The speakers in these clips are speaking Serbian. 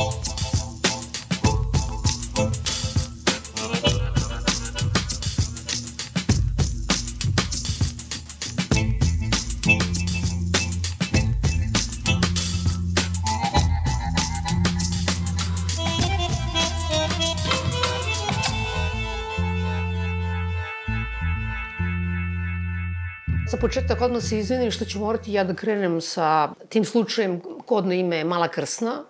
Za početak odmah se izvinim što ću morati ja da krenem sa tim slučajem kodno ime Mala Krsna.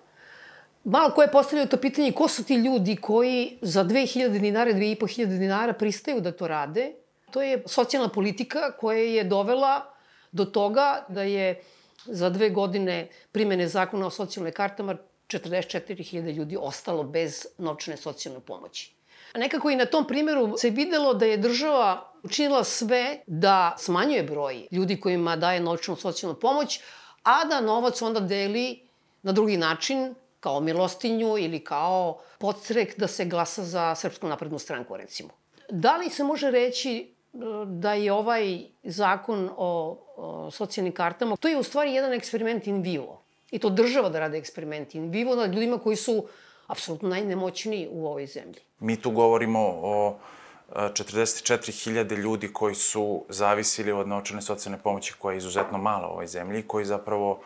Malo ko je postavljao to pitanje ko su ti ljudi koji za 2000 dinara, 2500 dinara pristaju da to rade. To je socijalna politika koja je dovela do toga da je za 2 godine primene zakona o socijalnoj kartama 44.000 ljudi ostalo bez novčane socijalne pomoći. Nekako i na tom primjeru se videlo da je država učinila sve da smanjuje broj ljudi kojima daje novčanu socijalnu pomoć, a da novac onda deli na drugi način, kao milostinju ili kao podstrek da se glasa za Srpsku naprednu stranku, recimo. Da li se može reći da je ovaj zakon o socijalnim kartama, to je u stvari jedan eksperiment in vivo. I to država da rade eksperiment in vivo nad ljudima koji su apsolutno najnemoćniji u ovoj zemlji. Mi tu govorimo o 44.000 ljudi koji su zavisili od novčane socijalne pomoći koja je izuzetno mala u ovoj zemlji, koji zapravo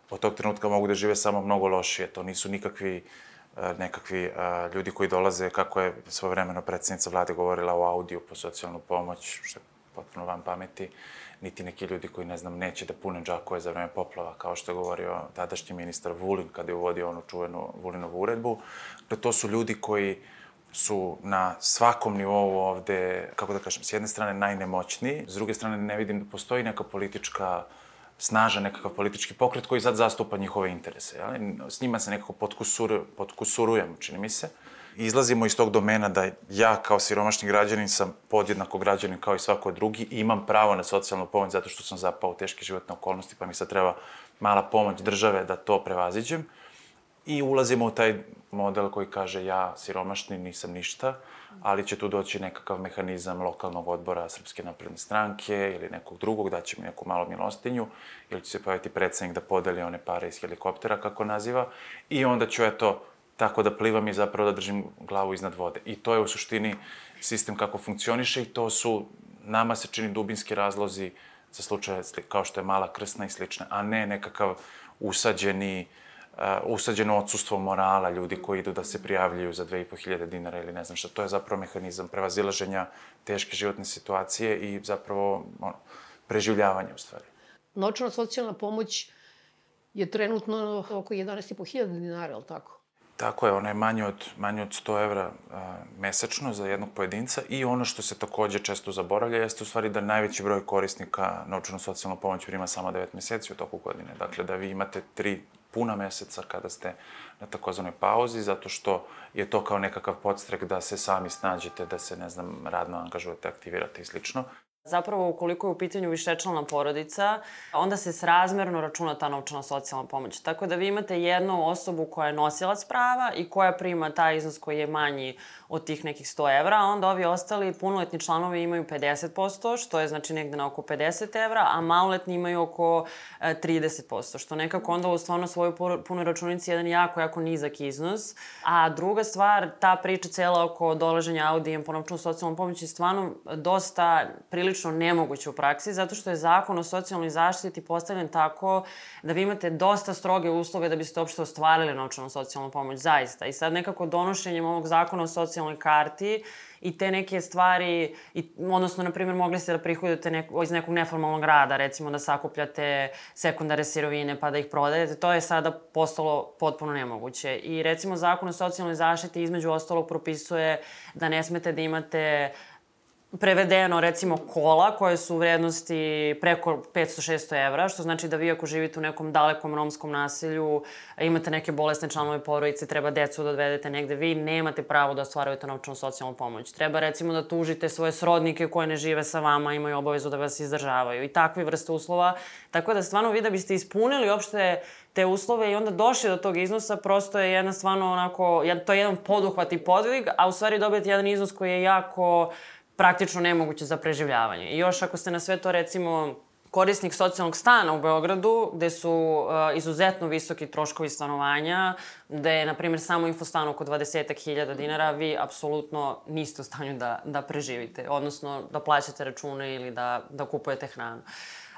od tog trenutka mogu da žive samo mnogo lošije. To nisu nekakvi ljudi koji dolaze, kako je svojevremeno predsjednica vlade govorila o audiju po socijalnu pomoć, što je potpuno van pameti, niti neki ljudi koji, ne znam, neće da pune džakove za vreme poplava, kao što je govorio tadašnji ministar Vulin kada je uvodio onu čuvenu Vulinovu uredbu. To su ljudi koji su na svakom nivou ovde, kako da kažem, s jedne strane najnemoćniji, s druge strane ne vidim da postoji neka politička snažan nekakav politički pokret koji sad zastupa njihove interese. S njima se nekako potkusurujem, čini mi se. Izlazimo iz tog domena da ja kao siromašni građanin sam podjednako građanin kao i svako drugi i imam pravo na socijalnu pomoć zato što sam zapao u teške životne okolnosti pa mi sad treba mala pomoć države da to prevaziđem. I ulazimo u taj model koji kaže ja siromašni nisam ništa, ali će tu doći nekakav mehanizam lokalnog odbora Srpske napredne stranke ili nekog drugog, daće mi neku malu milostinju, ili će se pojaviti predsednik da podeli one pare iz helikoptera, kako naziva, i onda ću, eto, tako da plivam i zapravo da držim glavu iznad vode. I to je u suštini sistem kako funkcioniše i to su, nama se čini, dubinski razlozi za slučaje kao što je Mala Krsna i slične, a ne nekakav usađeno odsustvo morala, ljudi koji idu da se prijavljuju za 2500 dinara ili ne znam šta. To je zapravo mehanizam prevazilaženja teške životne situacije i zapravo preživljavanja u stvari. Novčana socijalna pomoć je trenutno oko 11.500 dinara, je li tako? Tako je, ona je manje od 100 evra mesečno za jednog pojedinca i ono što se takođe često zaboravlja jeste u stvari da najveći broj korisnika novčanu socijalnu pomoć prima samo 9 meseci u toku godine. Dakle, da vi imate 3 puna meseca kada ste na takozvanoj pauzi, zato što je to kao nekakav podstrek da se sami snađete, da se, ne znam, radno angažujete, aktivirate i slično. Zapravo, ukoliko je u pitanju višečlana porodica, onda se srazmerno računa ta novčana socijalna pomoć. Tako da vi imate jednu osobu koja je nosilac prava i koja prima taj iznos koji je manji od tih nekih 100 evra, a onda ovi ostali punoletni članovi imaju 50%, što je znači negde na oko 50 evra, a maloletni imaju oko 30%, što nekako onda u stvarno svojoj punoj računici je jedan jako nizak iznos. A druga stvar, ta priča cela oko dolaženja audijem po novčanu socijalnu pomoć je stvarno dosta prilično nemoguće u praksi, zato što je zakon o socijalnoj zaštiti postavljen tako da vi imate dosta stroge uslove da biste uopšte ostvarili novčanu socijalnu pomoć, zaista. I sad nekako donošenjem ovog zakona o socijalnoj karti i te neke stvari, odnosno, na primjer, mogli ste da prihodujete iz nekog neformalnog rada, recimo da sakupljate sekundare sirovine pa da ih prodajete, to je sada postalo potpuno nemoguće. I recimo zakon o socijalnoj zaštiti između ostalog propisuje da ne smete da imate prevedeno, recimo, kola koje su u vrednosti preko 500-600 evra, što znači da vi ako živite u nekom dalekom romskom naselju, imate neke bolesne članove porodice, treba decu da odvedete negde, vi nemate pravo da ostvarujete novčanu socijalnu pomoć. Treba, recimo, da tužite svoje srodnike koje ne žive sa vama, imaju obavezu da vas izdržavaju i takve vrste uslova. Tako da, stvarno, vi da biste ispunili uopšte te uslove i onda došli do tog iznosa, prosto je jedna stvarno onako, to je jedan poduhvat i podvig, a u stvari dobijete jedan iznos koji je jako praktično nemoguće za preživljavanje. I još ako ste na sve to, recimo, korisnik socijalnog stana u Beogradu, gde su izuzetno visoki troškovi stanovanja, gde je, na primjer, samo infostan oko 20.000 dinara, vi apsolutno niste u stanju da preživite, odnosno da plaćate račune ili da kupujete hranu.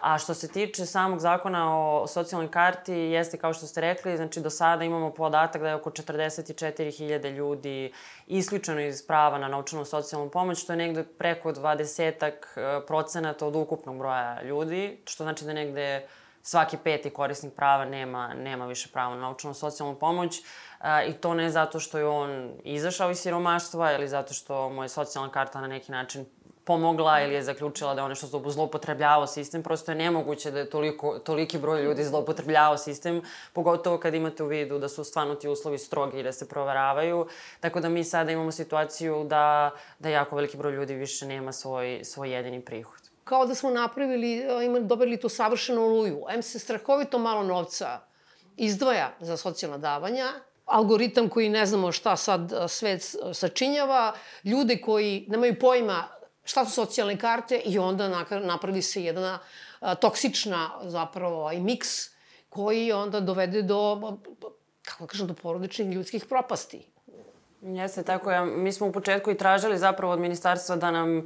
A što se tiče samog zakona o socijalnoj karti, jeste kao što ste rekli, znači do sada imamo podatak da je oko 44.000 ljudi isključeno iz prava na novčanu socijalnu pomoć, što je negde preko 20% od ukupnog broja ljudi, što znači da negde svaki peti korisnik prava nema više pravo na novčanu socijalnu pomoć. I to ne zato što je on izašao iz siromaštva ili zato što mu je socijalna karta na neki način pomogla ili je zaključila da je nešto zloupotrebljavao sistem. Prosto je nemoguće da je toliki broj ljudi zloupotrebljavao sistem, pogotovo kad imate u vidu da su stvarno ti uslovi strogi i da se proveravaju. Tako da mi sada imamo situaciju da jako veliki broj ljudi više nema svoj jedini prihod. Kao da smo dobili tu savršenu oluju. Se strahovito malo novca izdvaja za socijalna davanja, algoritam koji ne znamo šta sad svet sačinjava, ljude koji nemaju pojma šta su socijalne karte i onda napravi se jedna toksična zapravo miks koji onda dovede do, kako kažem, do porodičnih ljudskih propasti. Jeste, tako. Mi smo u početku i tražili zapravo od ministarstva da nam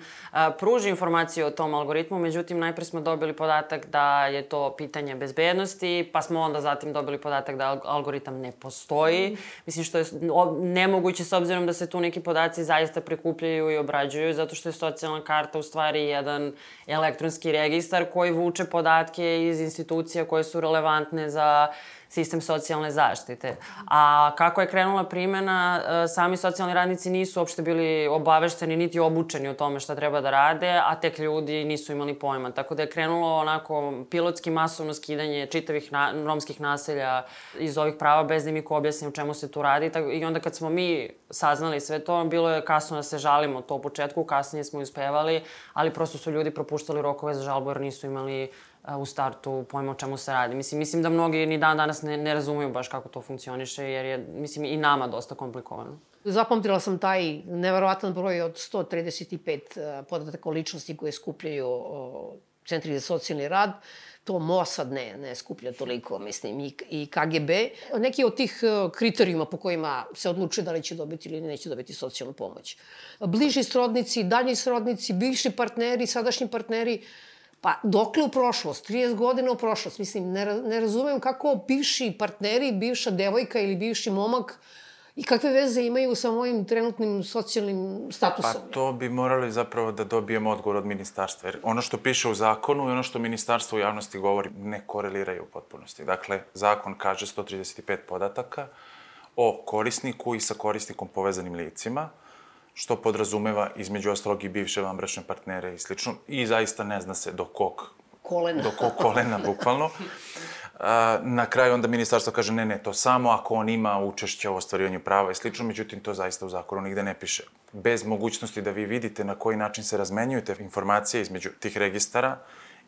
pruži informaciju o tom algoritmu, međutim, najpre smo dobili podatak da je to pitanje bezbednosti, pa smo onda zatim dobili podatak da algoritam ne postoji. Mislim, što je nemoguće s obzirom da se tu neki podaci zaista prikupljaju i obrađuju, zato što je socijalna karta u stvari jedan elektronski registar koji vuče podatke iz institucija koje su relevantne za sistem socijalne zaštite. A kako je krenula primena, sami socijalni radnici nisu uopšte bili obavešteni niti obučeni o tome šta treba da rade, a tek ljudi nisu imali pojma. Tako da je krenulo onako pilotski masovno skidanje čitavih romskih naselja iz ovih prava bez da im iko objasni o čemu se tu radi. I onda kad smo mi saznali sve to, bilo je kasno da se žalimo to u početku, kasnije smo uspevali, ali prosto su ljudi propuštali rokove za žalbu jer nisu imali u startu pojma o čemu se radi. Mislim da mnogi ni dan danas ne razumeju baš kako to funkcioniše, jer je, mislim, i nama dosta komplikovano. Zapamtila sam taj neverovatan broj od 135 podataka o ličnosti koje skupljaju centri za socijalni rad. To Mossad ne skuplja toliko, mislim, i KGB. Neki od tih kriterijuma po kojima se odlučuje da li će dobiti ili neće dobiti socijalnu pomoć. Bliži srodnici, dalji srodnici, bivši partneri, sadašnji partneri. Pa dokle u prošlost? 30 godina u prošlost. Mislim, ne razumem kako bivši partneri, bivša devojka ili bivši momak i kakve veze imaju sa mojim trenutnim socijalnim statusom. Pa to bi morali zapravo da dobijemo odgovor od ministarstva. Jer ono što piše u zakonu i ono što ministarstvo u javnosti govori ne koreliraju u potpunosti. Dakle, zakon kaže 135 podataka o korisniku i sa korisnikom povezanim licima, što podrazumeva između ostalog i bivše vanbračne partnere i slično. I zaista ne zna se do kog kolena, bukvalno. Na kraju onda ministarstvo kaže ne, to samo ako on ima učešće u ostvarivanju prava i slično, međutim to zaista u zakonu nigde ne piše. Bez mogućnosti da vi vidite na koji način se razmenjuju te informacije između tih registara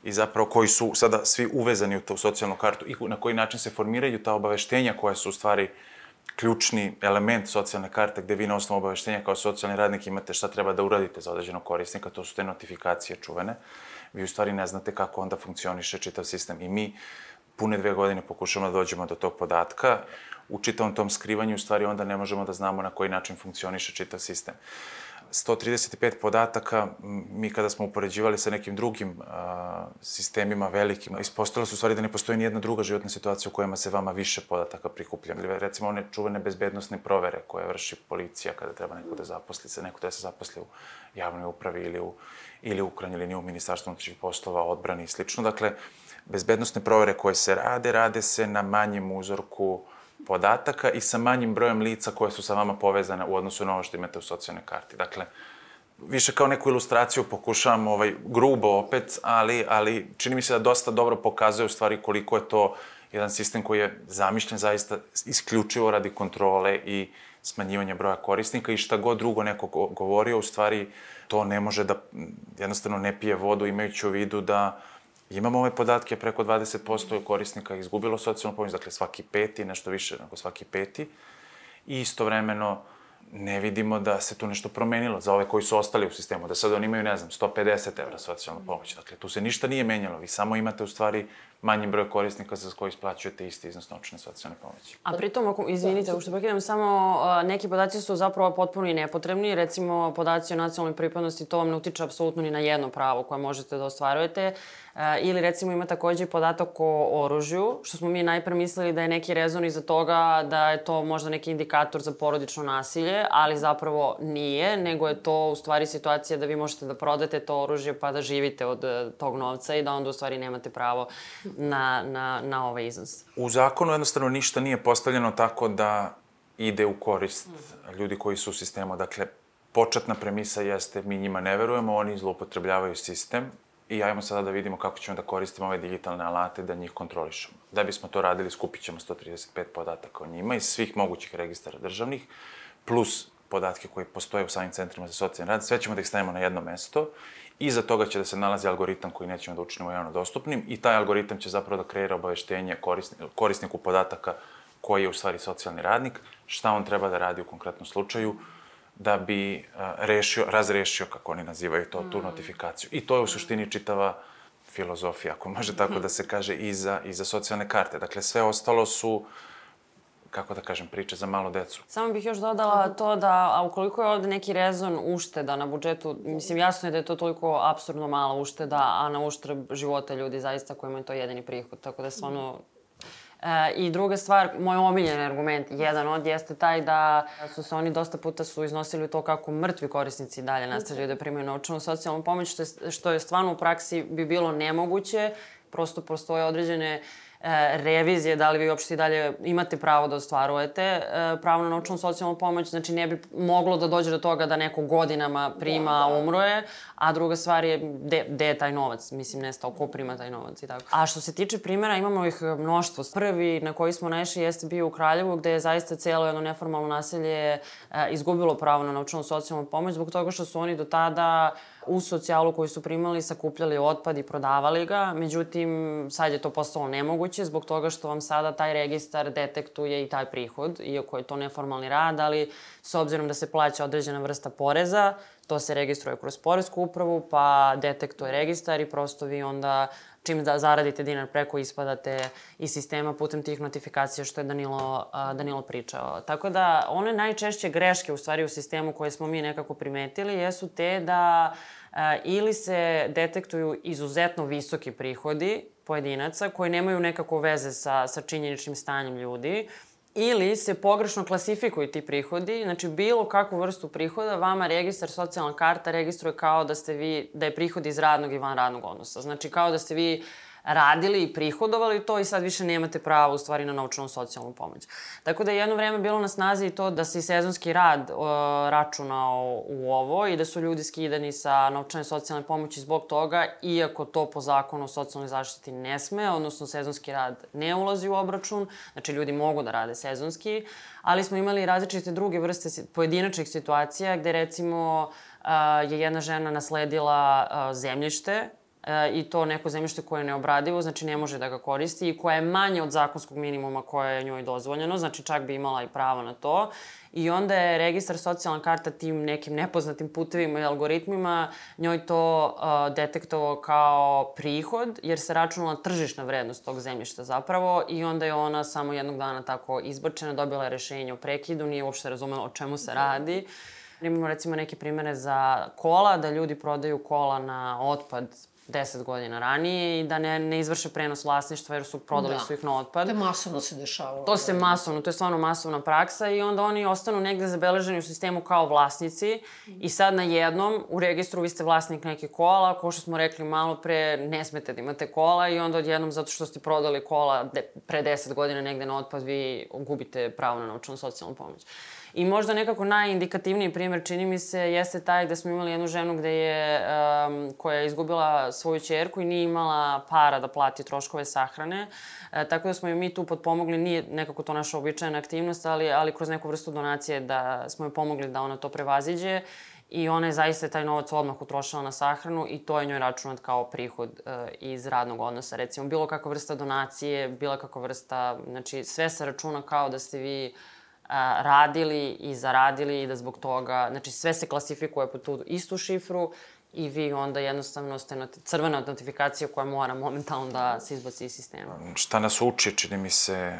i zapravo koji su sada svi uvezani u tu socijalnu kartu i na koji način se formiraju ta obaveštenja koja su u stvari ključni element socijalne karte gde vi na osnovu obaveštenja kao socijalni radnik imate šta treba da uradite za određenog korisnika, to su te notifikacije čuvene. Vi u stvari ne znate kako onda funkcioniše čitav sistem. I mi pune 2 godine pokušamo da dođemo do tog podatka. U čitavom tom skrivanju u stvari onda ne možemo da znamo na koji način funkcioniše čitav sistem. 135 podataka, mi kada smo upoređivali sa nekim drugim sistemima velikim, ispostavilo se u stvari da ne postoji nijedna druga životna situacija u kojima se vama više podataka prikuplja. Recimo one čuvene bezbednosne provere koje vrši policija kada treba neko da se zaposli u javnoj upravi ili u krajnjoj liniji u Ministarstvu unutrašnjih poslova, odbrani i slično. Dakle, bezbednosne provere koje se rade se na manjem uzorku podataka i sa manjim brojem lica koje su sa vama povezane u odnosu na ovo što imate u socijalnoj karti. Dakle, više kao neku ilustraciju pokušavam grubo opet, ali čini mi se da dosta dobro pokazuje u stvari koliko je to jedan sistem koji je zamišljen zaista isključivo radi kontrole i smanjivanja broja korisnika i šta god drugo neko govorio, u stvari to ne može da jednostavno ne pije vodu imajući u vidu da imamo ove podatke, preko 20% korisnika izgubilo socijalnu pomoć, dakle svaki peti, nešto više nego svaki peti. I istovremeno ne vidimo da se tu nešto promenilo za ove koji su ostali u sistemu, da sad oni imaju, ne znam, 150 evra socijalna pomoć. Dakle, tu se ništa nije menjalo. Vi samo imate u stvari manji broj korisnika za koji isplaćujete isti iznos novčane socijalne pomoći. A pritom, izvinite, što prekidam, samo neki podaci su zapravo potpuno i nepotrebni. Recimo, podaci o nacionalnoj pripadnosti, to vam ne utiče apsolutno ni na jedno pravo koje možete da ostvarujete. Ili, recimo, ima takođe podatak o oružju, što smo mi najpre mislili da je neki rezon iza toga da je to možda neki indikator za porodično nasilje, ali zapravo nije, nego je to u stvari situacija da vi možete da prodate to oružje pa da živite od tog novca i da onda u stvari nemate pravo na ovaj iznos. U zakonu jednostavno ništa nije postavljeno tako da ide u korist ljudi koji su u sistemu. Dakle, početna premisa jeste mi njima ne verujemo, oni zloupotrebljavaju sistem i ajmo sada da vidimo kako ćemo da koristimo ove digitalne alate da njih kontrolišemo. Da bismo to radili, skupit ćemo 135 podataka o njima iz svih mogućih registara državnih, plus podatke koji postoje u samim centrima za socijalni rad. Sve ćemo da ih stavimo na jedno mesto. Iza toga će da se nalazi algoritam koji nećemo da učinimo javno dostupnim i taj algoritam će zapravo da kreira obaveštenje korisniku podataka koji je u stvari socijalni radnik, šta on treba da radi u konkretnom slučaju da bi razrešio, kako oni nazivaju to, tu notifikaciju. I to je u suštini čitava filozofija, ako može tako da se kaže, i za socijalne karte. Dakle, sve ostalo su, kako da kažem, priče za malu decu. Samo bih još dodala to da, a ukoliko je ovde neki rezon ušteda na budžetu, mislim, jasno je da je to toliko apsurdno mala ušteda, a na uštrb života ljudi zaista koji imaju to jedini prihod, tako da je stvarno... I druga stvar, moj omiljen argument, jedan od, jeste taj da su se oni dosta puta iznosili to kako mrtvi korisnici dalje nastavljaju da primaju novčanu socijalnu pomoć, što je stvarno u praksi bi bilo nemoguće, prosto postoje određene revizije, da li vi uopšte i dalje imate pravo da ostvarujete pravo na novčanu socijalnu pomoć, znači ne bi moglo da dođe do toga da neko godinama prima, a umro je, a druga stvar je gde je taj novac, mislim, nestao, ko prima taj novac i tako. A što se tiče primjera, imamo ih mnoštvo. Prvi na koji smo naišli jeste bio u Kraljevu, gde je zaista cijelo jedno neformalno naselje izgubilo pravo na novčanu socijalnu pomoć zbog toga što su oni do tada u socijalu koju su primali sakupljali otpad i prodavali ga, međutim, sad je to postalo nemoguće zbog toga što vam sada taj registar detektuje i taj prihod, iako je to neformalni rad, ali s obzirom da se plaća određena vrsta poreza, to se registruje kroz poresku upravu, pa detektuje registar i prosto vi onda čim da zaradite dinar preko ispadate iz sistema putem tih notifikacija što je Danilo pričao. Tako da one najčešće greške u stvari u sistemu koje smo mi nekako primetili jesu te da ili se detektuju izuzetno visoki prihodi pojedinaca koji nemaju nekako veze sa činjeničnim stanjem ljudi, ili se pogrešno klasifikuju ti prihodi, znači bilo kakvu vrstu prihoda vama registar socijalna karta registruje kao da je prihod iz radnog i van radnog odnosa. Znači kao da ste vi radili i prihodovali to i sad više nemate pravo u stvari na novčanu socijalnu pomoć. Tako da je jedno vreme bilo na snazi i to da se i sezonski rad računao u ovo i da su ljudi skidani sa novčane socijalne pomoći zbog toga, iako to po zakonu o socijalnoj zaštiti ne sme, odnosno sezonski rad ne ulazi u obračun, znači ljudi mogu da rade sezonski, ali smo imali različite druge vrste pojedinačnih situacija gde recimo je jedna žena nasledila zemljište i to neko zemljište koje je neobradivo, znači ne može da ga koristi i koje je manje od zakonskog minimuma koje je njoj dozvoljeno, znači čak bi imala i pravo na to. I onda je registar socijalna karta tim nekim nepoznatim putevima i algoritmima njoj to detektovao kao prihod, jer se računala tržišna vrednost tog zemljišta zapravo i onda je ona samo jednog dana tako izbačena, dobila je rešenje o prekidu, nije uopšte razumela o čemu se radi. Imamo recimo neke primere za kola, da ljudi prodaju kola na otpad 10 godina ranije i da ne izvrše prenos vlasništva jer su prodali su ih na otpad. To je masovno se dešavalo. To je stvarno masovna praksa i onda oni ostanu negde zabeleženi u sistemu kao vlasnici i sad na jednom u registru vi ste vlasnik neke kola, kao što smo rekli malo pre, ne smete da imate kola i onda odjednom zato što ste prodali kola pre 10 godina negde na otpad vi gubite pravo na novčanu socijalnu pomoć. I možda nekako najindikativniji primer, čini mi se, jeste taj da smo imali jednu ženu koja je izgubila svoju ćerku i nije imala para da plati troškove sahrane. Tako da smo joj mi tu potpomogli, nije nekako to naša običajna aktivnost, ali kroz neku vrstu donacije da smo joj pomogli da ona to prevaziđe. I ona je zaista taj novac odmah utrošila na sahranu i to je njoj računat kao prihod iz radnog odnosa. Recimo, bilo kakva vrsta donacije, bila kakva vrsta, znači sve se računa kao da ste vi radili i zaradili i da zbog toga, znači sve se klasifikuje po tu istu šifru i vi onda jednostavno ste crvena notifikacija koja mora momentalno da se izbaci iz sistema. Šta nas uči, čini mi se,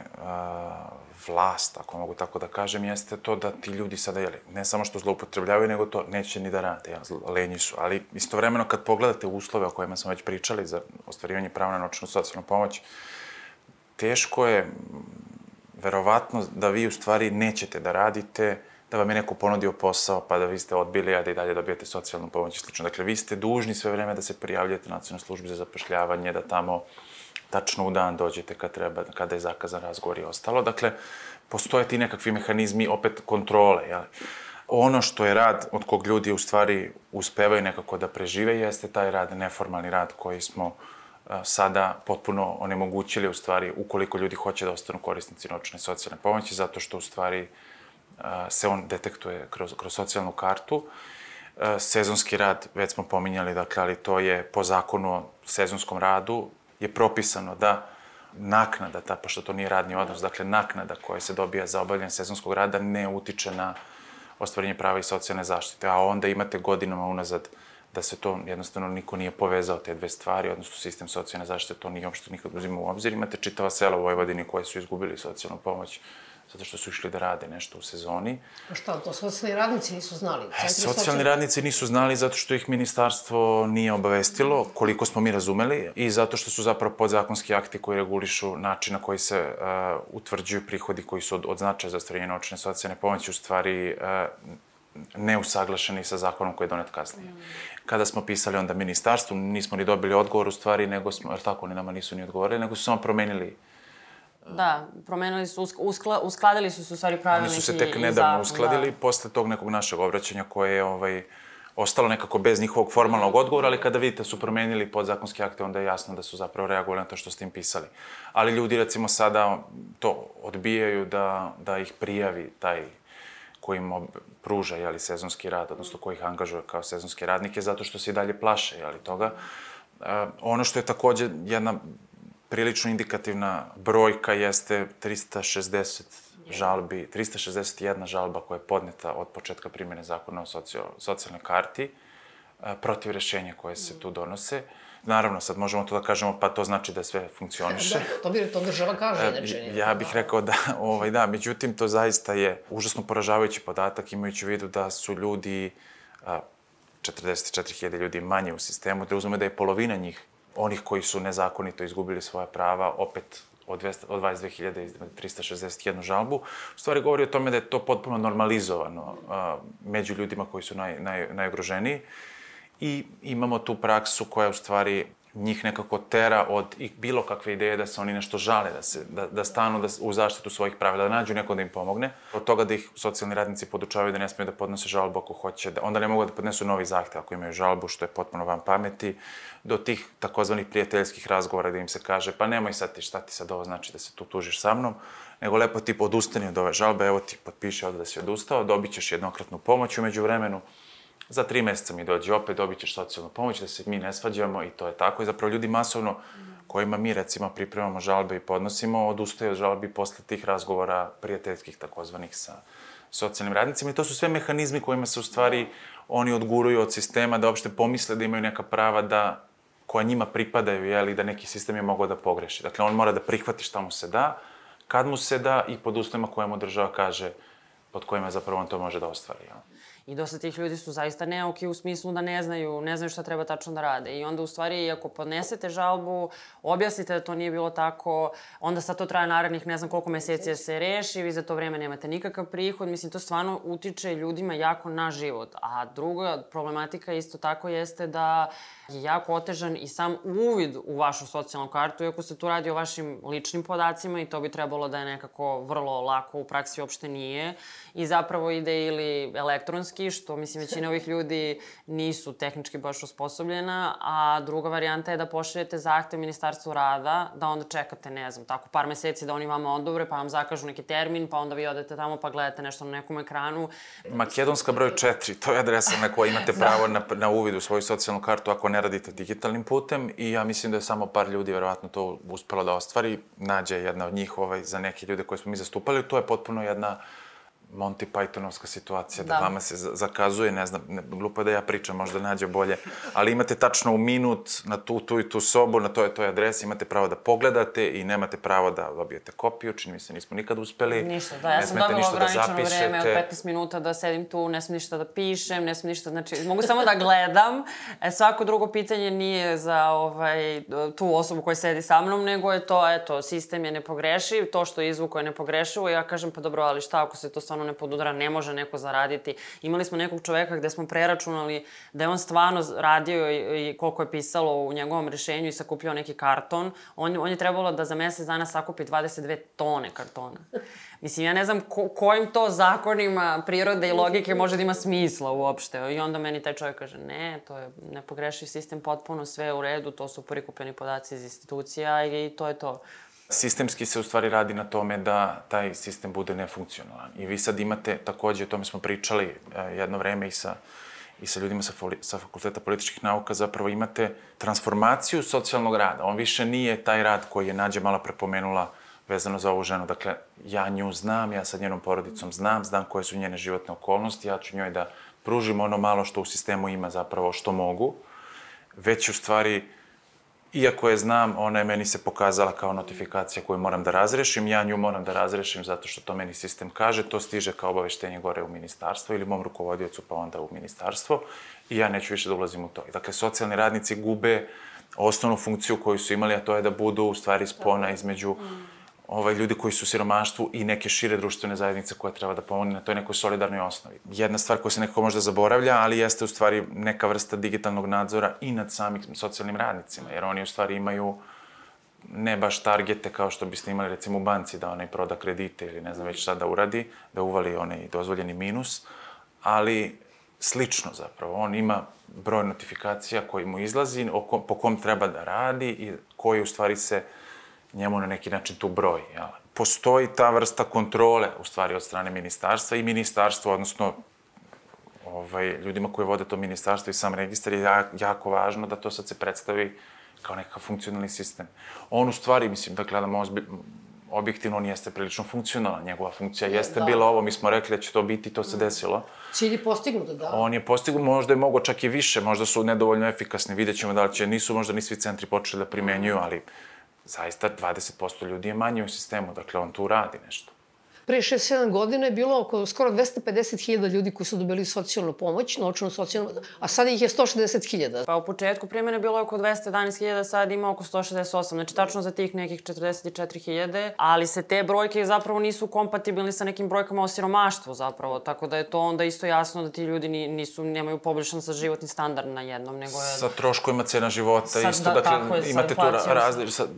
vlast, ako mogu tako da kažem, jeste to da ti ljudi sada, ne samo što zloupotrebljavaju, nego to neće ni da rade, lenji su. Ali istovremeno kad pogledate uslove o kojima smo već pričali za ostvarivanje prava na novčanu socijalnu pomoć, teško je, verovatno, da vi u stvari nećete da radite, da vam je neko ponudio posao, pa da vi ste odbili, a da i dalje dobijete socijalnu pomoć i slično. Dakle, vi ste dužni sve vreme da se prijavljate na Nacionalnoj službi za zapošljavanje, da tamo tačno u dan dođete kada je zakazan razgovor i ostalo. Dakle, postoje ti nekakvi mehanizmi, opet, kontrole. Ono što je rad od kog ljudi u stvari uspevaju nekako da prežive jeste taj rad, neformalni rad koji smo sada potpuno onemogućili u stvari ukoliko ljudi hoće da ostanu korisnici novčane socijalne pomoći, zato što u stvari se on detektuje kroz socijalnu kartu. Sezonski rad, već smo pominjali, dakle, ali to je po zakonu o sezonskom radu, je propisano da naknada, pošto to nije radni odnos, dakle, naknada koja se dobija za obavljanje sezonskog rada ne utiče na ostvarenje prava i socijalne zaštite, a onda imate godinama unazad da se to jednostavno niko nije povezao te dve stvari, odnosno sistem socijalne zaštite to nije uopšte nikad uzimao u obzir. Imate čitava sela u Vojvodini koje su izgubili socijalnu pomoć zato što su išli da rade nešto u sezoni. A šta, to socijalni radnici nisu znali? Socijalni radnici nisu znali zato što ih ministarstvo nije obavestilo, koliko smo mi razumeli, i zato što su zapravo podzakonski akti koji regulišu način na koji se utvrđuju prihodi koji su od značaja za ostvarenje novčane socijalne pomoći u stvari neusaglašeni sa zakonom koji je donet kasnije. Kada smo pisali onda ministarstvu, nismo ni dobili odgovor u stvari, nego smo, jer tako, oni nama nisu ni odgovorili, nego su samo promenili. Da, promenili su, uskladili su u stvari pravilnike i zakon. Oni su se tek nedavno uskladili posle tog nekog našeg obraćanja koje je ostalo nekako bez njihovog formalnog odgovora, ali kada vidite su promenili podzakonske akte, onda je jasno da su zapravo reagovali na to što ste im pisali. Ali ljudi, recimo, sada to odbijaju da ih prijavi taj koji im pruža sezonski rad, odnosno koji ih angažuje kao sezonske radnike, zato što se i dalje plaše toga. Ono što je takođe jedna prilično indikativna brojka jeste 360 žalbi, 361 žalba koja je podneta od početka primjene zakona o socijalnoj karti protiv rešenja koje se tu donose. Naravno, sad možemo to da kažemo, pa to znači da sve funkcioniše. To država kaže, inače. Ja bih rekao da, međutim, to zaista je užasno poražavajući podatak, imajući u vidu da su ljudi, 44.000 ljudi manje u sistemu, da uzmemo da je polovina njih, onih koji su nezakonito izgubili svoja prava, opet od 22.361 žalbu, u stvari govori o tome da je to potpuno normalizovano među ljudima koji su najugroženiji. I imamo tu praksu koja u stvari njih nekako tera od bilo kakve ideje da se oni nešto žale, da stanu u zaštitu svojih pravila, da nađu neko da im pomogne. Od toga da ih socijalni radnici podučavaju da ne smiju da podnose žalbu ako hoće, onda ne mogu da podnesu novi zahtev ako imaju žalbu, što je potpuno van pameti, do tih takozvanih prijateljskih razgovora gde im se kaže pa nemoj sad ti, šta ti sad ovo znači da se tu tužiš sa mnom, nego lepo ti odustani od ove žalbe, evo ti potpiši ovde da si odustao, dobit ćeš jednokratnu pomoć umeđu vremenu. Za 3 meseca mi dođi opet, dobit ćeš socijalnu pomoć, da se mi ne svađamo i to je tako. I zapravo ljudi masovno, kojima mi recimo pripremamo žalbe i podnosimo, odustaju od žalbi posle tih razgovora prijateljskih takozvanih sa socijalnim radnicima. I to su sve mehanizmi kojima se u stvari oni odguruju od sistema da uopšte pomisle da imaju neka prava koja njima pripadaju, i da neki sistem je mogao da pogreši. Dakle, on mora da prihvati šta mu se da, kad mu se da i pod uslovima koje mu država kaže pod kojima zapravo on to može da ostvari. I dosta tih ljudi su zaista neuki u smislu da ne znaju šta treba tačno da rade. I onda, u stvari, ako podnesete žalbu, objasnite da to nije bilo tako, onda sad to traje narednih ne znam koliko meseci da se reši, vi za to vreme nemate nikakav prihod. Mislim, to stvarno utiče ljudima jako na život. A druga problematika isto tako jeste da je jako otežan i sam uvid u vašu socijalnu kartu, iako se tu radi o vašim ličnim podacima i to bi trebalo da je nekako vrlo lako, u praksi uopšte nije. I zapravo ide ili elektronski, što, mislim, većina ovih ljudi nisu tehnički baš osposobljena, a druga varijanta je da pošaljete zahtev Ministarstvu rada, da onda čekate, ne znam, tako par meseci da oni vama odobre, pa vam zakažu neki termin, pa onda vi odete tamo pa gledate nešto na nekom ekranu. Makedonska broj 4, to je adresa na kojoj imate pravo na uvid u svoju socijalnu kartu ako ne radite digitalnim putem, i ja mislim da je samo par ljudi verovatno to uspelo da ostvari. Nađa je jedna od njih za neke ljude koje smo mi zastupali. To je potpuno jedna Monty Pythonovska situacija, da vama se zakazuje, ne znam, glupo je da ja pričam, možda nađe bolje, ali imate tačno u minut na tu i tu sobu, na toj adresi, imate pravo da pogledate i nemate pravo da dobijete kopiju, čini mi se nismo nikad uspeli. Ništa, da, ja sam dobila ograničeno vreme od 15 minuta da sedim tu, ne smijem ništa da pišem, ne smijem ništa, znači mogu samo da gledam. Svako drugo pitanje nije za tu osobu koja sedi sa mnom, nego je to, eto, sistem je nepogrešiv, to što je izvuko je nepogrešivo i ja kažem, pa dobro, ali šta ako se to stvarno ne podudara, ne može neko zaraditi. Imali smo nekog čoveka gde smo preračunali da je on stvarno radio i koliko je pisalo u njegovom rešenju i sakupljao neki karton. On je trebalo da za mesec dana sakupi 22 tone kartona. Mislim, ja ne znam kojim to zakonima prirode i logike može da ima smisla uopšte. I onda meni taj čovjek kaže, ne, to je nepogrešiv sistem, potpuno sve u redu, to su prikupljeni podaci iz institucija i to je to. Sistemski se u stvari radi na tome da taj sistem bude nefunkcionalan. I vi sad imate, takođe, o tome smo pričali jedno vreme i sa ljudima sa Fakulteta političkih nauka, zapravo imate transformaciju socijalnog rada. On više nije taj rad koji je Nađa malo prepomenula vezano za ovu ženu. Dakle, ja nju znam, ja sa njenom porodicom znam koje su njene životne okolnosti, ja ću njoj da pružim ono malo što u sistemu ima zapravo što mogu. Već u stvari, iako je znam, ona je meni se pokazala kao notifikacija koju moram da razrešim, ja nju moram da razrešim zato što to meni sistem kaže, to stiže kao obaveštenje gore u ministarstvo ili mom rukovodiocu pa onda u ministarstvo i ja neću više da ulazim u to. Dakle, socijalni radnici gube osnovnu funkciju koju su imali, a to je da budu u stvari spona između ljudi koji su u siromaštvu i neke šire društvene zajednice koje treba da pomogne na toj nekoj solidarnoj osnovi. Jedna stvar koja se nekako možda zaboravlja, ali jeste u stvari neka vrsta digitalnog nadzora i nad samim socijalnim radnicima, jer oni u stvari imaju ne baš targete kao što biste imali recimo u banci da onaj proda kredite ili ne znam već šta da uradi, da uvali onaj dozvoljeni minus, ali slično zapravo. On ima broj notifikacija koji mu izlazi, po kom treba da radi i koji u stvari se njemu na neki način tu broji. Postoji ta vrsta kontrole, u stvari, od strane ministarstva i ministarstvo, odnosno ljudima koji vode to ministarstvo i sam registar je jako važno da to sad se predstavi kao nekakav funkcionalni sistem. On u stvari, mislim, da gledamo objektivno, on jeste prilično funkcionalan. Njegova funkcija jeste bila ovo, mi smo rekli da će to biti, to se desilo. Cilj je postignut, da. On je postignut, možda je mogo čak i više, možda su nedovoljno efikasni, vidjet ćemo da li će, nisu možda ni svi centri počeli da primenjuju, ali zaista 20% ljudi je manje u sistemu, dakle on tu radi nešto. Pre 6-7 godina je bilo oko skoro 250.000 ljudi koji su dobili socijalnu pomoć, novčanu socijalnu, a sada ih je 160.000. Pa u početku primjene bilo je oko 211.000, sad ima oko 168, znači tačno za tih nekih 44.000, ali se te brojke zapravo nisu kompatibilni sa nekim brojkama o siromaštvu zapravo, tako da je to onda isto jasno da ti ljudi nemaju poboljšan sa životni standard na jednom, nego je... Sa troškovima cena života isto, dakle imate tu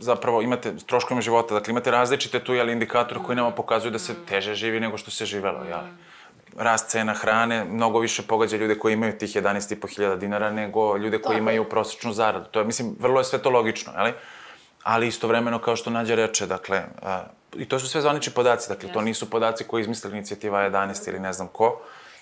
zapravo imate troškovima života, dakle imate različite tu indikatore koji nama pokazuju da se teže živi nego što se živelo, jel? Rast cena hrane mnogo više pogađa ljude koji imaju tih 11.500 dinara nego ljude koji imaju prosečnu zaradu. To je, mislim, vrlo je sve to logično, jel? Ali istovremeno, kao što Nađa reče, dakle, i to su sve zvanični podaci, dakle, to nisu podaci koji izmislila inicijativa 11 ili ne znam ko.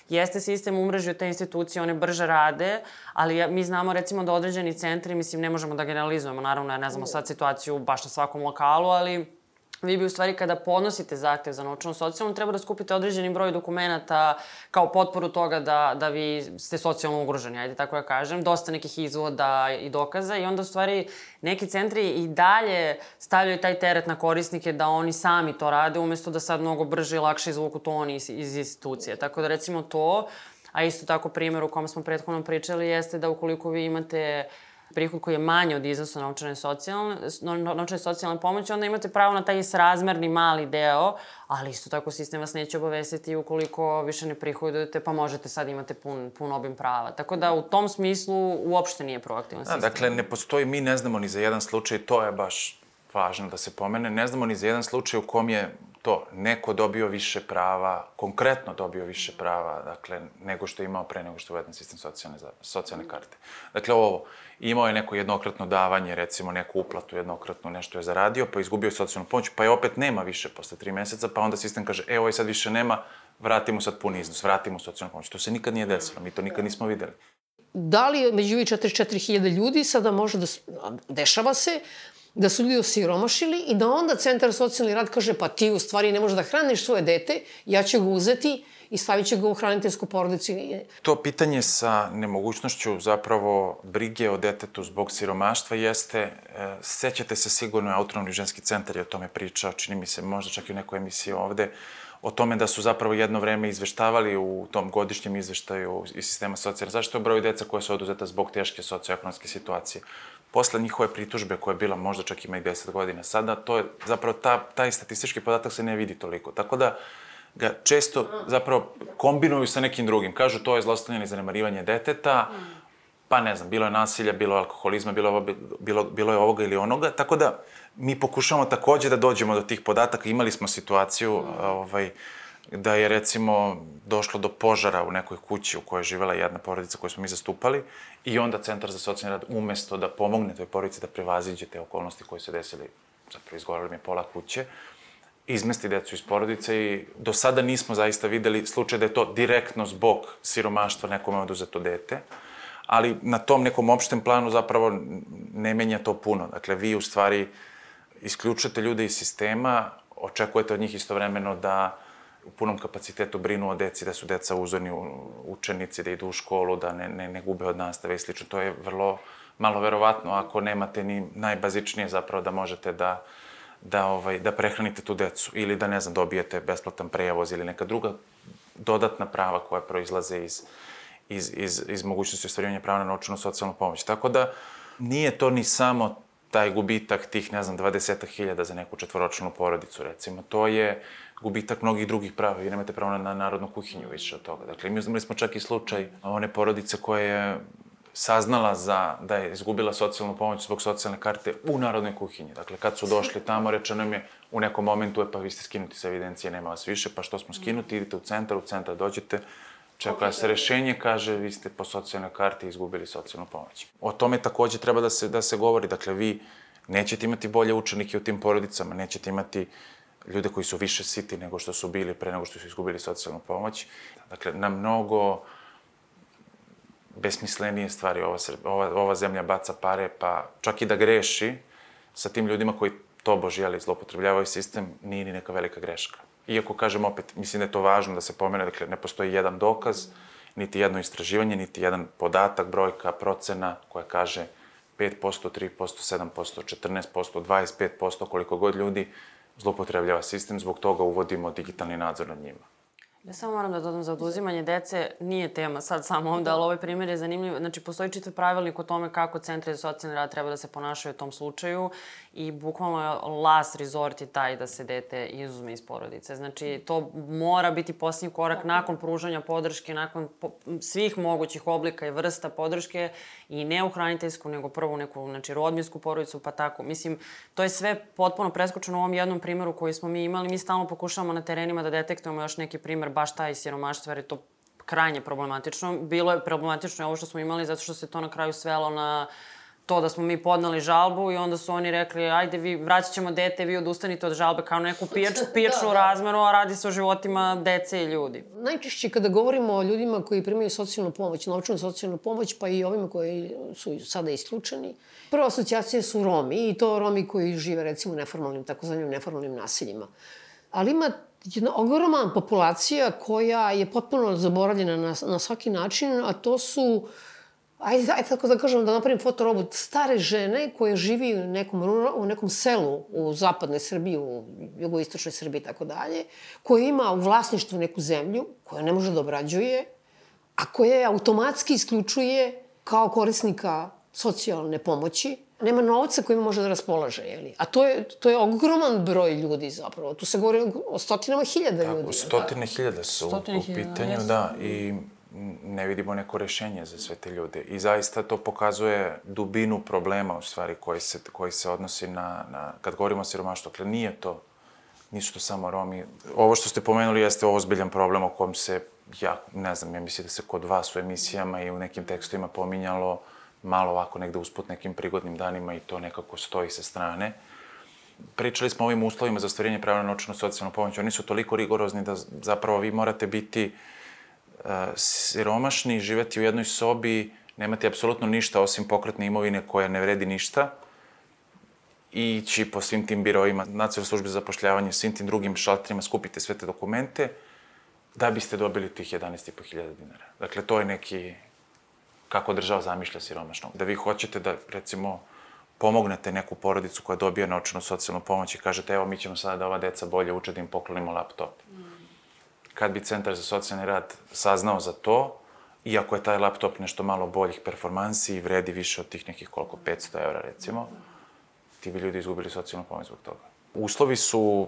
Jeste sistem umrežio te institucije, one brže rade, ali mi znamo recimo da određeni centri, mislim, ne možemo da generalizujemo, naravno, jer ne znamo sad situaciju baš na svakom lokalu, ali vi bi u stvari kada podnosite zahtev za novčanu socijalnu, treba da skupite određeni broj dokumenata kao potporu toga da vi ste socijalno ugroženi, ajde tako ja kažem, dosta nekih izvoda i dokaza i onda u stvari neki centri i dalje stavljaju taj teret na korisnike da oni sami to rade, umesto da sad mnogo brže i lakše izvuku to oni iz institucije. Tako da recimo to, a isto tako primjer u kom smo prethodno pričali, jeste da ukoliko vi imate prihod koji je manji od iznosa novčane socijalne pomoći, onda imate pravo na taj srazmerni mali deo, ali isto tako sistem vas neće obavestiti ukoliko više ne prihodujete, pa možete sad imate pun obim prava. Tako da u tom smislu uopšte nije proaktivan sistem. Dakle, ne postoji, mi ne znamo ni za jedan slučaj, to je baš važno da se pomene, ne znamo ni za jedan slučaj u kom je to neko dobio više prava, konkretno dobio više prava, dakle, nego što je imao pre nego što je uveden sistem socijalne karte. Dakle, imao je neko jednokratno davanje, recimo neku uplatu jednokratnu, nešto je zaradio, pa izgubio socijalnu pomoć, pa je opet nema više posle 3 meseca, pa onda sistem kaže, ovo sad više nema, vratimo sad pun iznos, vratimo socijalnu pomoć. To se nikad nije desilo, mi to nikad nismo videli. Da li među ovih 44.000 ljudi sada može da... Dešava se da su ljudi osiromašili i da onda Centar za socijalni rad kaže pa ti u stvari ne možeš da hraniš svoje dete, ja ću ga uzeti i stavit će ga u hraniteljsku porodicu. To pitanje sa nemogućnošću zapravo brige o detetu zbog siromaštva jeste, sećate se sigurno, Autonomni ženski centar je o tome pričao, čini mi se možda čak i u nekoj emisiji ovde, o tome da su zapravo jedno vreme izveštavali u tom godišnjem izveštaju iz sistema socijalne zaštite o broju deca koje su oduzeta zbog teške socioekonomske situacije. Posle njihove pritužbe koja je bila možda čak ima i 10 godina sada, to je zapravo taj statistički podatak se ne vidi toliko. Tako da ga često zapravo kombinuju sa nekim drugim. Kažu to je zlostavljanje i zanemarivanje deteta, pa ne znam, bilo je nasilja, bilo je alkoholizma, bilo je ovoga ili onoga, tako da mi pokušamo takođe da dođemo do tih podataka. Imali smo situaciju da je recimo došlo do požara u nekoj kući u kojoj je živela jedna porodica koju smo mi zastupali i onda Centar za socijalni rad umesto da pomogne toj porodici da prevaziđe te okolnosti koje se desili, zapravo izgorali mi pola kuće, izmesti decu iz porodice i do sada nismo zaista videli slučaj da je to direktno zbog siromaštva nekome oduzeto dete, ali na tom nekom opštem planu zapravo ne menja to puno. Dakle, vi u stvari isključujete ljude iz sistema, očekujete od njih istovremeno da u punom kapacitetu brinu o deci, da su deca uzorni učenici, da idu u školu, da ne gube od nastave i slično. To je vrlo malo verovatno ako nemate ni najbazičnije zapravo da možete da prehranite tu decu ili da, ne znam, dobijete besplatan prevoz ili neka druga dodatna prava koja proizlaze iz mogućnosti ostvarivanja prava na novčanu socijalnu pomoć. Tako da nije to ni samo taj gubitak tih, ne znam, 20.000 za neku četvoročlanu porodicu, recimo. To je gubitak mnogih drugih prava. Vi nemate pravo na narodnu kuhinju više od toga. Dakle, imali smo čak i slučaj one porodice koja je saznala da je izgubila socijalnu pomoć zbog socijalne karte u narodnoj kuhinji. Dakle, kad su došli tamo, rečeno im je u nekom momentu, pa vi ste skinuti sa evidencije, nema vas više, pa što smo skinuti, idite u centar dođete, čeka se rešenje, kaže, vi ste po socijalnoj karti izgubili socijalnu pomoć. O tome takođe treba da se govori. Dakle, vi nećete imati bolje učenike u tim porodicama, nećete imati ljude koji su više siti nego što su bili pre nego što su izgubili socijalnu pomoć. Dakle, na mnogo besmislenije stvari ova zemlja baca pare, pa čak i da greši sa tim ljudima koji tobož, zloupotrebljavaju sistem, nije ni neka velika greška. Iako, kažem opet, mislim da je to važno da se pomene, dakle, ne postoji jedan dokaz, niti jedno istraživanje, niti jedan podatak, brojka, procena koja kaže 5%, 3%, 7%, 14%, 25%, koliko god ljudi zloupotrebljava sistem, zbog toga uvodimo digitalni nadzor nad njima. Ja samo moram da dodam, za oduzimanje dece nije tema sad samo ovde, ali ovaj primjer je zanimljiv. Znači, postoji čitav pravilnik o tome kako centri za socijalni rad treba da se ponašaju u tom slučaju i bukvalno je last resort je taj da se dete izuzme iz porodice. Znači, to mora biti posljednji korak nakon pružanja podrške, nakon svih mogućih oblika i vrsta podrške i ne u hraniteljsku, nego prvo u neku, znači, rodbinsku porodicu, pa tako. Mislim, to je sve potpuno preskočeno u ovom jednom primjeru koji smo mi imali. Mi stalno pokušavamo na terenima da detektujemo još neki primer baš taj siromaštvo, jer je to krajnje problematično. Bilo je problematično ovo što smo imali zato što se to na kraju svelo na to da smo mi podneli žalbu i onda su oni rekli ajde vi vraćat ćemo dete, vi odustanite od žalbe kao neku pijačnu razmeru, a radi se o životima dece i ljudi. Najčešće kada govorimo o ljudima koji primaju socijalnu pomoć, novčanu socijalnu pomoć, pa i ovima koji su sada isključeni, prva asocijacija su Romi i to Romi koji žive recimo u neformalnim, takozvanim neformalnim naseljima. Ali ima jedna ogromna populacija koja je potpuno zaboravljena na svaki način, a to su, ajde tako da kažem, da napravim fotorobot, stare žene koje živi u nekom selu u zapadnoj Srbiji, u jugoistočnoj Srbiji i tako dalje, koja ima u vlasništvu neku zemlju, koja ne može da obrađuje, a koja je automatski isključuje kao korisnika socijalne pomoći. Nema novca kojima može da raspolaže, jeli? A to je ogroman broj ljudi zapravo. Tu se govori o stotinama hiljada ljudi. Tako, stotine hiljada su u pitanju, da, i ne vidimo neko rešenje za sve te ljude. I zaista to pokazuje dubinu problema, u stvari, koji se odnosi kad govorimo o siromaštvu. Dakle, nisu to samo Romi. Ovo što ste pomenuli jeste ozbiljan problem o kom se, ja mislim da se kod vas u emisijama i u nekim tekstovima pominjalo malo ovako negde usput nekim prigodnim danima i to nekako stoji sa strane. Pričali smo o ovim uslovima za ostvarenje prava na novčanu socijalnu pomoć. Oni su toliko rigorozni da zapravo vi morate biti siromašni, živeti u jednoj sobi, nemate apsolutno ništa osim pokretne imovine koja ne vredi ništa ići po svim tim biroima, Nacionalnoj službi za zapošljavanje, svim tim drugim šalterima, skupite sve te dokumente, da biste dobili tih 11.500 dinara. Dakle, to je neki, kako država zamišlja siromašnog. Da vi hoćete da, recimo, pomognete neku porodicu koja dobija novčanu socijalnu pomoć i kažete, evo, mi ćemo sada da ova deca bolje uče, da im poklonimo laptop. Kad bi Centar za socijalni rad saznao za to, iako je taj laptop nešto malo boljih performansi i vredi više od tih nekih 500 € recimo, ti bi ljudi izgubili socijalnu pomoć zbog toga. Uslovi su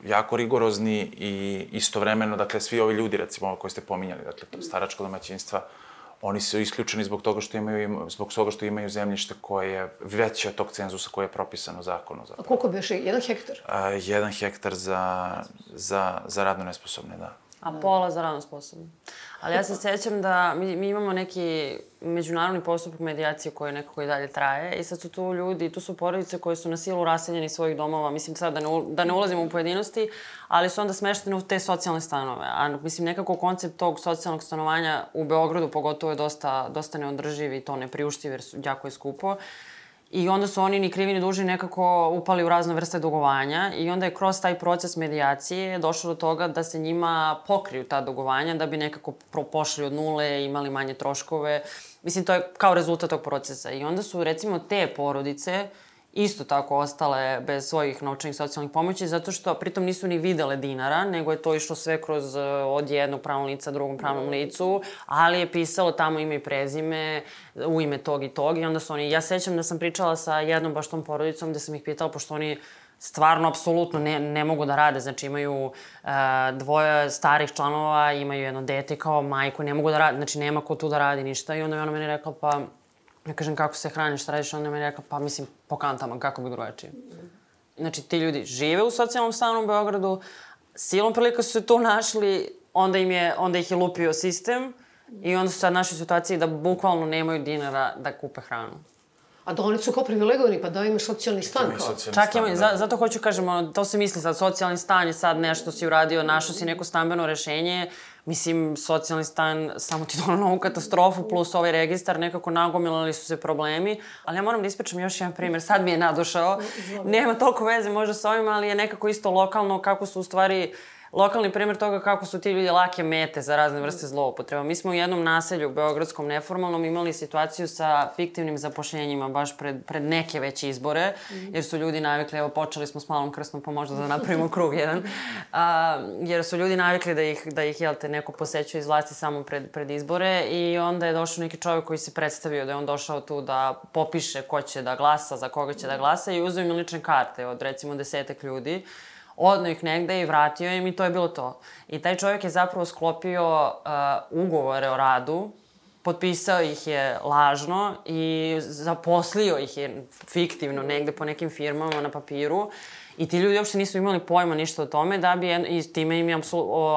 jako rigorozni i istovremeno, dakle, svi ovi ljudi, recimo, koji ste pominjali, dakle, staračko domaćinstva, oni su isključeni zbog toga što imaju zemljište koje je veće od tog cenzusa koje je propisano zakonom. A koliko bi još? 1 hektar? 1 hektar za radno nesposobne, da. A pola za radno sposobne. Ali ja se sjećam da mi imamo neki međunarodni postupak medijacije koji nekako i dalje traje i sad su tu ljudi, tu su porodice koje su na silu raseljeni iz svojih domova, mislim sad da ne ulazimo u pojedinosti, ali su onda smeštene u te socijalne stanove. A mislim nekako koncept tog socijalnog stanovanja u Beogradu pogotovo je dosta neodrživ i to nepriuštiv jer jako je skupo. I onda su oni ni krivi ni dužni nekako upali u razne vrste dugovanja i onda je kroz taj proces medijacije došlo do toga da se njima pokriju ta dugovanja da bi nekako pošli od nule, imali manje troškove. Mislim, to je kao rezultat tog procesa. I onda su, recimo, te porodice isto tako ostale bez svojih novčanih socijalnih pomoći, zato što pritom nisu ni videle dinara, nego je to išlo sve kroz od jednog pravnog lica drugom pravnom licu, ali je pisalo tamo ime i prezime, u ime tog i tog, i onda su oni, ja sećam da sam pričala sa jednom baš tom porodicom gde sam ih pitala, pošto oni stvarno, apsolutno ne mogu da rade, znači imaju 2 starih članova, imaju jedno dete kao majku, ne mogu da rade, znači nema ko tu da radi ništa, i onda je ona meni rekla, pa ja kažem, kako se hraniš, šta radiš? Onda mi je rekla, pa mislim, po kantama, kako bi drugačije. Znači, ti ljudi žive u socijalnom stanu u Beogradu, silom prilika su se tu našli, onda ih je lupio sistem i onda su sad našli u situaciji da bukvalno nemaju dinara da kupe hranu. A da oni su kao privilegovani, pa da imaju socijalni stan kao. Čak imaju, zato hoću kažem, to se misli sad, socijalni stan je sad nešto si uradio, našao si neko stambeno rešenje, mislim, socijalni stan, samo ti dono novu katastrofu, plus ovaj registar, nekako nagomilali su se problemi, ali ja moram da ispričam još jedan primjer, sad mi je nadošao, nema toliko veze možda s ovim, ali je nekako isto lokalno, kako su u stvari lokalni primjer toga kako su ti ljudi lake mete za razne vrste zloupotreba. Mi smo u jednom naselju, beogradskom neformalnom, imali situaciju sa fiktivnim zapošljenjima baš pred neke veće izbore, jer su ljudi navikli, evo počeli smo s Malom Krsnom, pa možda da napravimo krug jedan, jer su ljudi navikli da ih jel te, neko posećuje iz vlasti samo pred izbore, i onda je došao neki čovjek koji se predstavio da je on došao tu da popiše ko će da glasa, za koga će da glasa, i uzeo im lične karte od recimo 10 ljudi, odno ih negde i vratio im, i to je bilo to. I taj čovjek je zapravo sklopio ugovore o radu, potpisao ih je lažno i zaposlio ih je fiktivno negde po nekim firmama na papiru, i ti ljudi uopšte nisu imali pojma ništa o tome, i time im je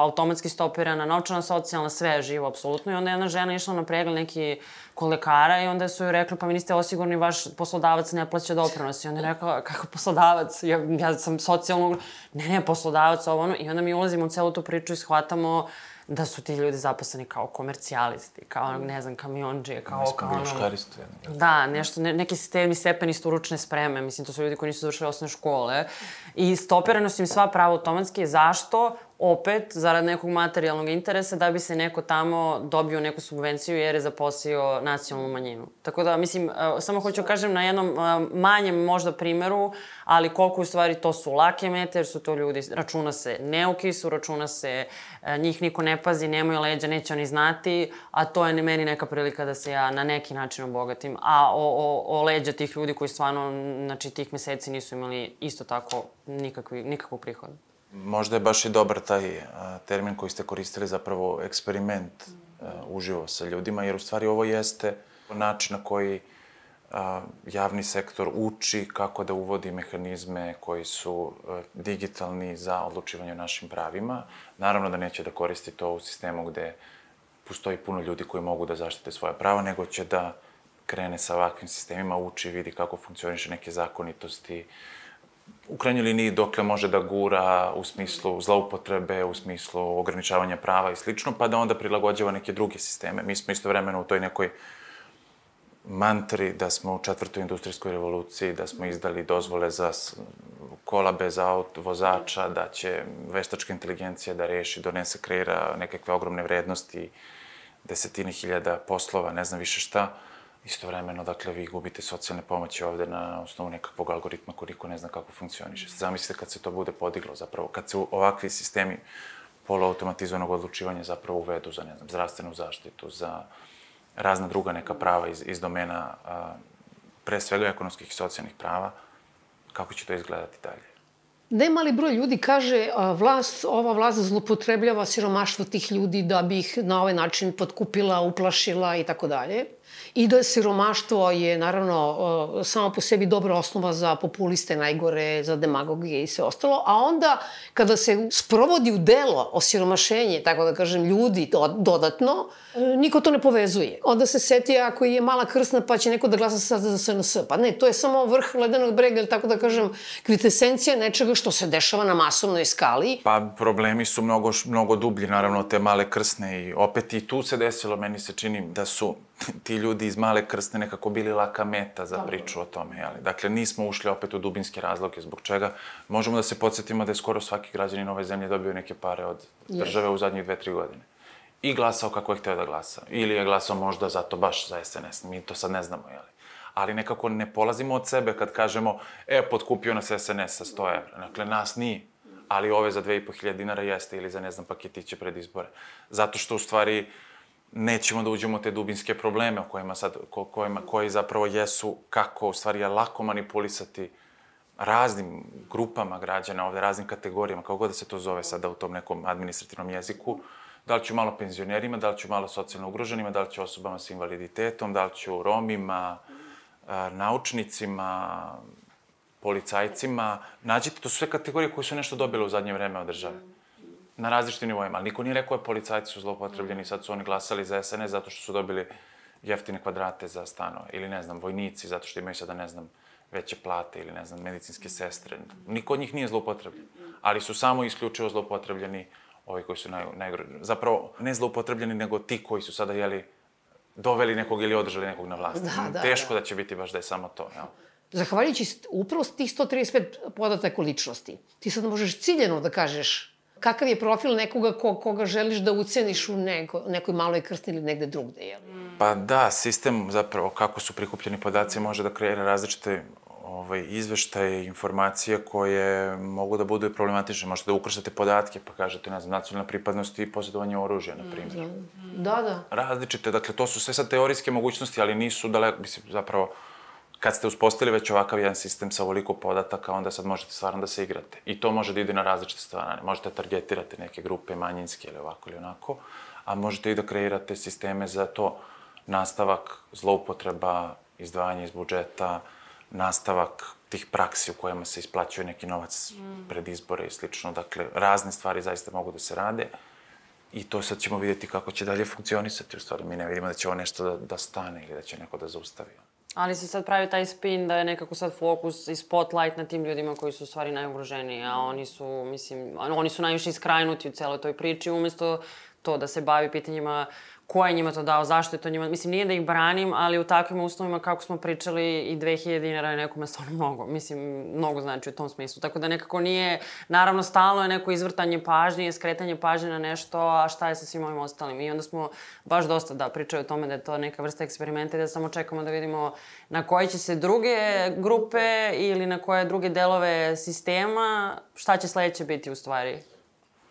automatski stopirana novčana socijalna, sve je živo apsolutno, i onda je jedna žena išla na pregled neki kod lekara i onda su joj rekli, pa mi niste osigurni, vaš poslodavac ne plaća doprinos. I onda je rekla, kako poslodavac? Ja sam socijalno... Ne, poslodavac, ovo ono. I onda mi ulazimo u celu tu priču i shvatamo da su ti ljudi zaposleni kao komercijalisti, kao, ne znam, kamiondžije, kao... Mi smo bili škaristi. Da, nešto, neki stepeni stručne spreme, mislim, to su ljudi koji nisu završili osnovne škole. I stopirano su im sva prava automatski. Zašto? Opet, zarad nekog materijalnog interesa, da bi se neko tamo dobio neku subvenciju jer je zaposlio nacionalnu manjinu. Tako da, mislim, samo hoću kažem na jednom manjem možda primeru, ali koliko u stvari to su lake mete, jer su to ljudi, računa se neuki su, računa se, njih niko ne pazi, nemaju leđa, neće oni znati, a to je meni neka prilika da se ja na neki način obogatim. A o leđa tih ljudi koji stvarno, znači, tih meseci nisu imali isto tako nikakvog prihoda. Možda je baš i dobar taj termin koji ste koristili, zapravo eksperiment uživo sa ljudima, jer u stvari ovo jeste način na koji javni sektor uči kako da uvodi mehanizme koji su digitalni za odlučivanje o našim pravima. Naravno da neće da koristi to u sistemu gde postoji puno ljudi koji mogu da zaštite svoja prava, nego će da krene sa ovakvim sistemima, uči, vidi kako funkcioniše neke zakonitosti, u krajnjoj liniji dokle može da gura u smislu zloupotrebe, u smislu ograničavanja prava i slično, pa da onda prilagođava neke druge sisteme. Mi smo istovremeno u toj nekoj mantri da smo u 4. industrijskoj revoluciji, da smo izdali dozvole za kola bez vozača, da će veštačka inteligencija da reši, donese, kreira nekakve ogromne vrednosti, desetine hiljada poslova, ne znam više šta. Istovremeno, dakle, vi gubite socijalne pomoći ovde na osnovu nekakvog algoritma koji niko ne zna kako funkcioniše. Zamislite kad se to bude podiglo, zapravo, kad se ovakvi sistemi poluautomatizovanog odlučivanja zapravo uvedu za, ne znam, zdravstvenu zaštitu, za razna druga neka prava iz domena, pre svega ekonomskih i socijalnih prava, kako će to izgledati dalje? Nemali broj ljudi kaže ova vlast zlopotrebljava siromaštvo tih ljudi da bi ih na ovaj način potkupila, uplašila i tako dalje. I da siromaštvo je, naravno, samo po sebi dobra osnova za populiste, najgore, za demagogije i sve ostalo. A onda, kada se sprovodi u delo osiromašenje, tako da kažem, ljudi dodatno, niko to ne povezuje. Onda se seti ako je Mala Krsna pa će neko da glasa sad za SNS. Pa ne, to je samo vrh ledenog brega, ili tako da kažem, kvitesencija nečega što se dešava na masovnoj skali. Pa problemi su mnogo dublji, naravno, te Male Krsne i opet i tu se desilo, meni se čini da su ti ljudi iz Male Krsne nekako bili laka meta za priču o tome, jeli? Dakle, nismo ušli opet u dubinske razloge, zbog čega možemo da se podsjetimo da je skoro svaki građanin ove zemlje dobio neke pare od države u zadnjih 2-3 godine. I glasao kako je hteo da glasa. Ili je glasao možda zato baš za SNS. Mi to sad ne znamo, jeli? Ali nekako ne polazimo od sebe kad kažemo, potkupio nas SNS sa 100 evra. Dakle, nas nije. Ali ove za 2.500 dinara jeste ili za, ne znam, paketiće pred izbore. Zato što, u stvari, nećemo da uđemo u te dubinske probleme o kojima sad, koji zapravo jesu kako, u stvari, je lako manipulisati raznim grupama građana ovde, raznim kategorijama, kako god da se to zove sada u tom nekom administrativnom jeziku. Da li ću malo penzionerima, da li ću malo socijalno ugroženima, da li ću osobama sa invaliditetom, da li ću Romima, naučnicima, policajcima. Nađite, to su sve kategorije koje su nešto dobile u zadnje vreme od države. Na različitim nivoima, ali niko nije rekao je policajci su zloupotrebljeni, sad su oni glasali za SNS zato što su dobili jeftine kvadrate za stanove. Ili, ne znam, vojnici zato što imaju sada, ne znam, veće plate ili, ne znam, medicinske sestre. Niko od njih nije zloupotrebljen, ali su samo isključivo zloupotrebljeni ovi koji su najgroženi. Zapravo, ne zloupotrebljeni, nego ti koji su sada, jeli, doveli nekog ili održali nekog na vlasti. Teško da će biti baš da je samo to, jel? Zahvaljujući upravo tih 135 podataka o ličnosti, ti sad možeš ciljeno da kažeš kakav je profil nekoga koga želiš da uceniš u nekoj Maloj Krsni ili negde drugde, jel? Pa da, sistem zapravo kako su prikupljeni podaci može da kreira različite izveštaje, informacije koje mogu da budu i problematične. Možete da ukrštate podatke pa kažete, ne znam, nacionalna pripadnost i posjedovanje oružja, na primjer. Da. Različite, dakle, to su sve sad teorijske mogućnosti, ali nisu daleko, mislim, zapravo, kad ste uspostavili već ovakav jedan sistem sa ovoliko podataka, onda sad možete stvarno da se igrate. I to može da ide na različite stvari. Možete da targetirate neke grupe manjinske ili ovako ili onako, a možete i da kreirate sisteme za to, nastavak zloupotreba, izdvajanje iz budžeta, nastavak tih praksi u kojima se isplaćuje neki novac pred izbore i slično. Dakle, razne stvari zaista mogu da se rade i to sad ćemo vidjeti kako će dalje funkcionisati. U stvari, mi ne vidimo da će ovo nešto da stane ili da će neko da zaustavi. Ali se sad pravi taj spin da je nekako sad fokus i spotlight na tim ljudima koji su u stvari najugroženiji, a oni su, mislim, oni su najviše iskrajnuti u celoj toj priči, umesto to da se bavi pitanjima ko je njima to dao, zašto je to njima... Mislim, nije da ih branim, ali u takvim uslovima, kako smo pričali, i 2000 dinara je nekome stvarno mnogo. Mislim, mnogo znači u tom smislu. Tako da nekako nije... Naravno, stalno je neko izvrtanje pažnje, skretanje pažnje na nešto, a šta je sa svim ovim ostalim. I onda smo baš dosta, pričali o tome da je to neka vrsta eksperimenta i da samo čekamo da vidimo na koje će se druge grupe ili na koje druge delove sistema, šta će sledeće biti u stvari.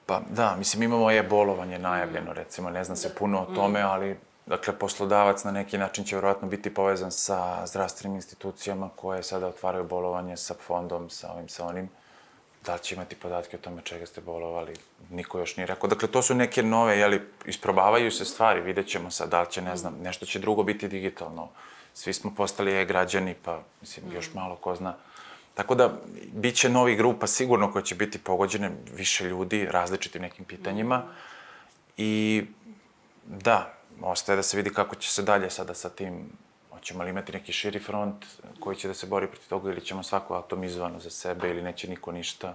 Pa da, mislim, imamo e-bolovanje najavljeno, recimo, ne zna se puno o tome, ali, dakle, poslodavac na neki način će vjerojatno biti povezan sa zdravstvenim institucijama koje sada otvaraju bolovanje sa fondom, sa ovim, sa onim. Da li će imati podatke o tome čega ste bolovali, niko još nije rekao. Dakle, to su neke nove, jeli, isprobavaju se stvari, vidjet ćemo sad, da li će, ne znam, nešto će drugo biti digitalno. Svi smo postali e-građani, pa, mislim, još malo ko zna. Tako da, bit će novih grupa sigurno koje će biti pogođene, više ljudi, različitim nekim pitanjima. I da, ostaje da se vidi kako će se dalje sada sa tim, hoćemo li imati neki širi front koji će da se bori protiv toga ili ćemo svako atomizovano za sebe ili neće niko ništa.